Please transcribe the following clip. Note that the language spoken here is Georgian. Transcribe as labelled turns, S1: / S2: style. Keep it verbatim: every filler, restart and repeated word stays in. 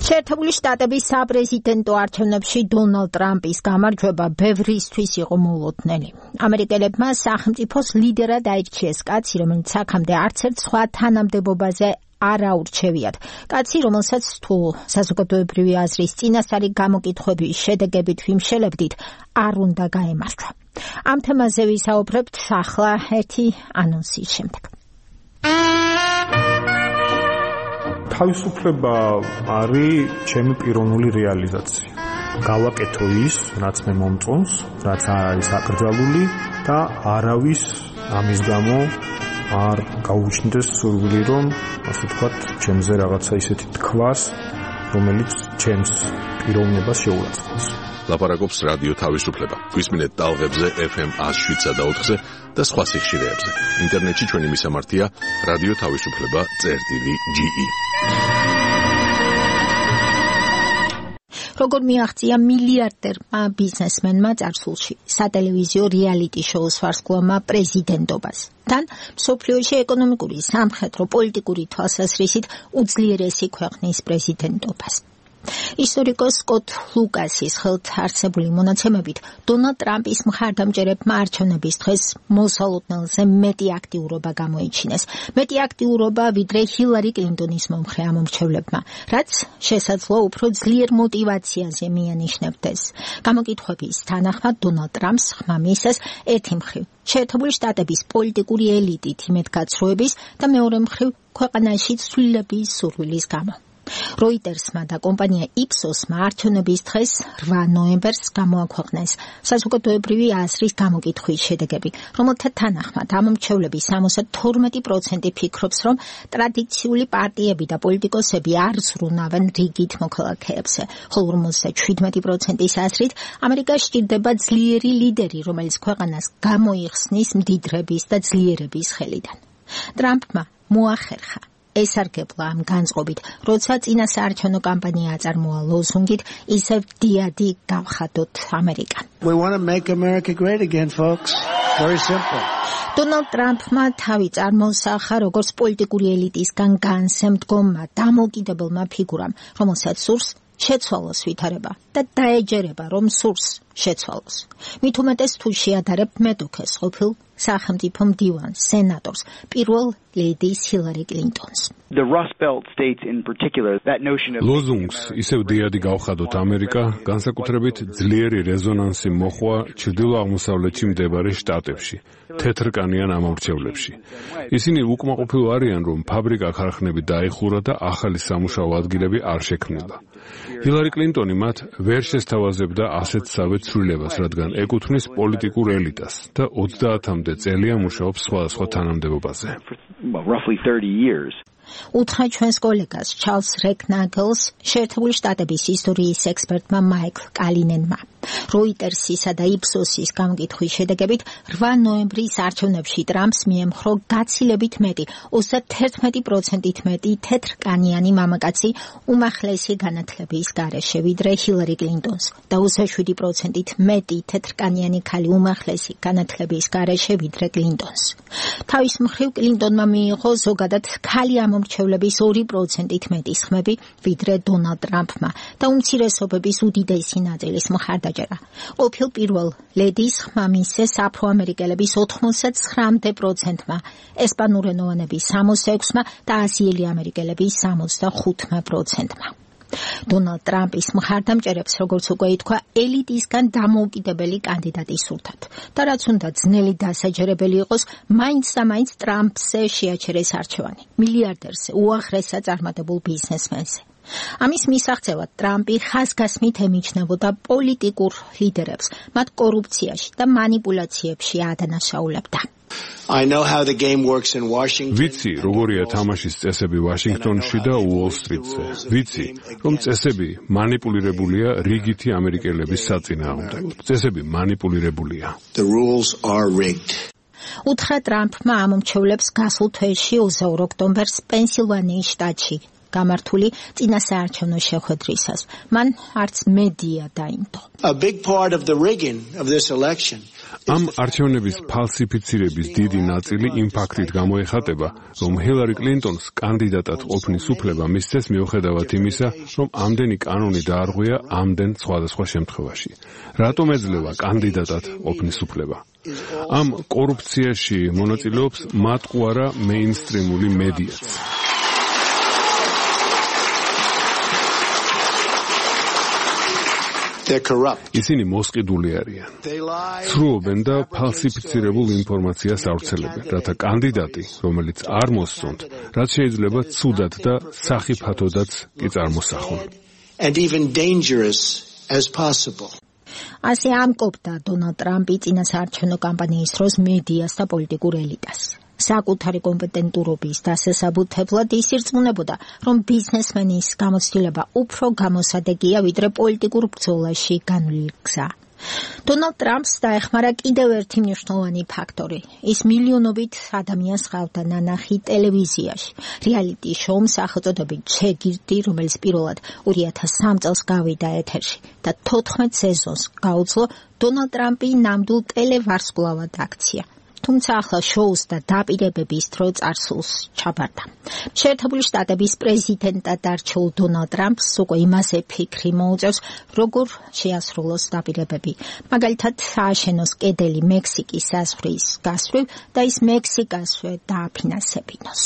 S1: შეერთებული შტატების საპრეზიდენტო არჩევნებში დონალდ ტრამპის გამარჯვება ბევრისთვის იყო მოულოდნელი. ამერიკელებმა სახელმწიფოს ლიდერად აირჩიეს კაცი, რომელიც აქამდე არც ერთ სხვა თანამდებობაზე არ აურჩევიათ. კაცი, რომელსაც თუ საზოგადოებრივი აზრის წინასწარი გამოკითხვების შედეგებით ვიმშელებდით, არ უნდა გაემარჯვა. ამ თემაზე ვისაუბრებთ ახლა ერთი ანონსის შემდეგ.
S2: თავისუფლება არის ჩემი პიროვნული რეალიზაცია. გავაკეთო ის, რაც მე მომწონს, რაც არის აკრძალული და არავის ამის გამო არ გაუჩნდეს სურვილი, რომ ასე ვთქვათ, ჩემზე რაღაცა ისეთი თქვას, რომელიც ჩემს პიროვნებას შეურაცხყოფს.
S3: ლაპარაკობს რადიო თავისუფლება. გვისმინეთ ტალღებზე ეფ ემ one oh seven და ოთხზე და სხვა სიხშირეებზე. ინტერნეტში ჩვენი მისამართია რადიო თავისუფლება წერტილი ჯი ი.
S1: როგორ მიაღწია მილიარდერმა ბიზნესმენმა წარსულში სატელევიზიო რეალიტი შოუს ვარსკვლავმა პრეზიდენტობას. თან მსოფლიოში ეკონომიკური, სამხედრო, პოლიტიკური თვალსაზრისით უძლიერესი ქვეყნის პრეზიდენტობას. ისტორიკოს სკოტ ლუკასის ხელთ არსებული მონაცემებით დონალდ ტრამპის მხარდამჭერებმა არჩევნების დღეს მოსალოდნელზე მეტი აქტიურობა გამოიჩინეს. მეტი აქტიურობა ვიდრე ჰილარი კლინტონის მომხრე ამომრჩევლებმა, რაც შესაძლოა უფრო ძლიერ мотиваციაზე მიანიშნებდეს. გამოკითხვების თანახმად დონალდ ტრამპს ხმა მისცეს ერთი მხრივ შეერთებული შტატების პოლიტიკური ელიტით იმედგაცრუების და მეორე მხრივ ქვეყანაში ცვლილების სურვილის გამო. როიტერსმა და კომპანია იპსოსმა არჩევნების დღეს რვა ნოემბერს გამოაქვეყნეს საზოგადოებრივი აზრის გამოკითხვის შედეგები, რომელთა თანახმად ამომრჩევლების სამოცდა თორმეტი პროცენტი ფიქრობს, რომ ტრადიციული პარტიები და პოლიტიკოსები არ ზრუნავენ რიგით მოქალაქეებზე, ხოლო ორმოცდაშვიდმეტი პროცენტის აზრით ამერიკა სჭირდება ძლიერი ლიდერი, რომელიც ქვეყანას გამოიხსნის მდიდრების და ძლიერების ხელიდან. ტრამპმა მოახერხა ესარგებლა ამ განწყობით, როცა წინასაარჩევნო კამპანია აწარმოა ლოზუნგით, ისევ დიადი გავხადოთ ამერიკა.
S4: We want to make America great again, folks. Very simple.
S1: დონალდ ტრამპმა თავი წარმოსახა როგორც პოლიტიკური ელიტისგან განსემდგომმა დამოუკიდებელმა ფიგურამ, რომელსაც სურს შეცვალოს ვითარება და დაეჯერება, რომ სურს შეცვალოს. მით უმეტეს თუ შეადარებ მეტოქეს ყოფილ სახელმწიფო მდივანს, სენატორს, პირველ ლედის ჰილარი კლინტონს.
S5: The Rust Belt states in particular, that notion of
S6: ლოზუნგს ისევ დიადი გავხადოთ ამერიკა, განსაკუთრებით ძლიერი რეზონანსი მოხვა ჩრდილო-აღმოსავლეთში მდებარე შტატებში, თეთრკანიან ამომრჩევლებში. ისინი უკმაყოფილო არიან, რომ ფაბრიკა-ქარხნები დაიხურა და ახალი სამუშაო ადგილები არ შექმნილა. ჰილარი კლინტონი მათ ვერ შესთავაზებდა ასეთსავე ცვლილებას, რადგან ეკუთვნის პოლიტიკურ ელიტას და ოცდაათამდე წელია მუშაობს სხვადასხვა თანამდებობაზე.
S5: roughly thirty years.
S1: უთხრა ჩვენს კოლეგას ჩარლს რეკნაგელს, შეერთებული შტატების ისტორიის ექსპერტმა მაიკლ კალინენმა. როიტერსისა და იპსოსის გამოკითხვის შედეგებით რვა ნოემბრის არჩევნებში ტრამპს მიემხრო გაცილებით მეტი, ოცდაათი პროცენტით მეტი თეთრკანიანი მამაკაცი უმაღლესი განათლების გარეშე ვიდრე ჰილარი კლინტონს და ოცდაშვიდი პროცენტით მეტი თეთრკანიანი ქალი უმაღლესი განათლების გარეშე ვიდრე კლინტონს. თავის მხრივ კლინტონმა მიიღო ზოგადად ქალი ამომრჩევლების ორი პროცენტით მეტი სხმები ვიდრე დონალდ ტრამპმა და უმცირესობების უდიდესი ნაწილის მხარდაჭერა. ყოფილ პირველ ლედის ხმა მისცეს აფროამერიკელების ოცდათხმეტ პროცენტმა, ესპანურენოვანების სამოცდაექვსმა და აზიელი ამერიკელების სამოცდახუთმა პროცენტმა. დონალდ ტრამპის მხარდამჭერებს, როგორც უკვე ითქვა, ელიტისგან დამოუკიდებელი კანდიდატი სურთათ და რაც უნდა ძნელი დასაჯერებელი იყოს, მაინც და მაინც ტრამპზე შეაჩერეს არჩევანი, მილიარდერზე, უაღრესად წარმატებულ ბიზნესმენზე. ამის მისაღწევად ტრამპი ხაზგასმით ემიჩნევოდა პოლიტიკურ ლიდერებს, მათ კორუფციაში და მანიპულაციებში ადანაშაულებდა.
S4: I know how the game works in Washington.
S6: ვიცი, როგორია თამაშის წესები ვაშინგტონში და უოლ-სტრიტზე. ვიცი, რომ წესები მანიპულირებულია რიგითი ამერიკელების საწინააღმდეგოდ. წესები მანიპულირებულია.
S4: The rules are rigged.
S1: უთხრა ტრამპმა ამომრჩევლებს გასულ თვეში ოცდაორ ოქტომბერს პენსილვანიის შტატში გამართული წინასაარჩევნო შეხვედრისას. მან არც მედია დაინდო.
S4: A big part of the rigging of this election
S6: ამ არჩევნების ფალსიფიცირების დიდი ნაწილი იმ ფაქტით გამოეხატება, რომ ჰილარი კლინტონს კანდიდატად ყოფნის უფლება მისცეს მიუხედავად იმისა, რომ ამდენი კანონი დაარღვია ამდენ სხვადასხვა შემთხვევაში. რატომ ეძლევა კანდიდატად ყოფნის უფლება? ამ კორუფციაში მონაწილეობს მატყუარა მეინსტრიმული მედიაც. ისინი მოსყიდული არიან. ცრუობენ და ფალსიფიცირებულ ინფორმაციას ავრცელებენ, რათა კანდიდატი, რომელიც არ მოსწონთ, რაც შეიძლება ცუდად და სახიფათოდაც კი წარმოსახონ.
S4: and even dangerous as possible.
S1: ასე ამკობდა დონალდ ტრამპი წინასაარჩევნო კამპანიის დროს მედიას და პოლიტიკურ ელიტას. საკუთარი კომპეტენტურობის დასასაბუთებლად ის ირწმუნებოდა, რომ ბიზნესმენის გამოცდილება უფრო გამოსადეგია, ვიდრე პოლიტიკურ ბრძოლაში განვლილი გზა. დონალდ ტრამპს დაეხმარა კიდევ ერთი მნიშვნელოვანი ფაქტორი. ის მილიონობით ადამიანს ჰყავდა ნანახი ტელევიზიაში. რეალიტი შოუმ სახელწოდებით ჩეგირდი, რომელიც პირველად ორი ათას სამი წელს გავიდა ეთერში და თოთხმეტ სეზონს გაუძლო დონალდ ტრამპი ნამდვილ ტელევარსკვლავად აქცია. თუმცა ახლა შოუს და დაპირებების დრო წარსულს ჩაბარდა. შეერთებული შტატების პრეზიდენტად არჩეულ დონალდ ტრამპს უკვე იმაზე ფიქრი მოუწევს, როგორ შეასრულოს დაპირებები. მაგალითად, ააშენოს კედელი მექსიკის საზღვრის გასწვრივ და ის მექსიკასვე დააფინანსებინოს.